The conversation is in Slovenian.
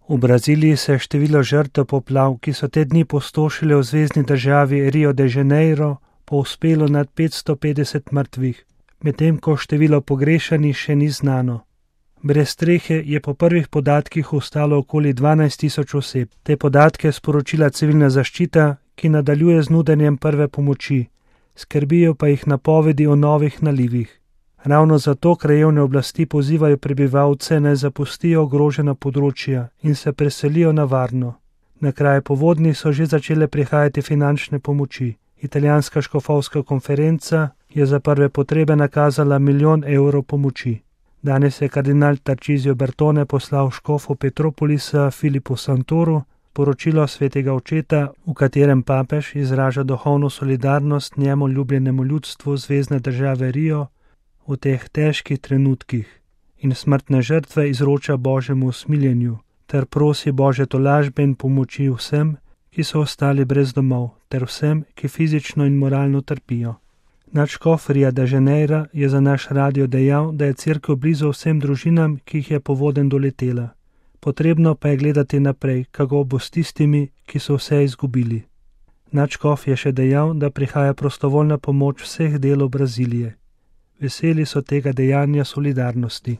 V Braziliji se je število žrtev poplav, ki so te dni pustošile v zvezni državi Rio de Janeiro, povzpelo nad 550 mrtvih, medtem ko število pogrešanih še ni znano. Brez strehe je po prvih podatkih ostalo okoli 12.000 oseb. Te podatke je sporočila civilna zaščita, ki nadaljuje z nudenjem prve pomoči. Skrbijo pa jih napovedi o novih nalivih. Ravno zato krajevne oblasti pozivajo prebivalce, naj zapustijo ogrožena področja in se preselijo na varno. Na kraje povodni so že začele prihajati finančne pomoči. Italijanska škofovska konferenca je za prve potrebe nakazala 1 milijon evrov pomoči. Danes je kardinal Tarcisio Bertone poslal škofu Petropolisa Filipu Santoru poročilo svetega očeta, v katerem papež izraža duhovno solidarnost njemu ljubljenemu ljudstvu zvezne države Rio v teh težkih trenutkih in smrtne žrtve izroča Božjemu usmiljenju ter prosi Božje tolažbe in pomoči vsem, ki so ostali brez domov, ter vsem, ki fizično in moralno trpijo. Nadškof Ria de Janeira je za naš radio dejal, da je cerkev blizu vsem družinam, ki jih je povodenj doletela. Potrebno pa je gledati naprej, kako bo s tistimi, ki so vse izgubili. Nadškof je še dejal, da prihaja prostovoljna pomoč vseh delov Brazilije. Veseli so tega dejanja solidarnosti.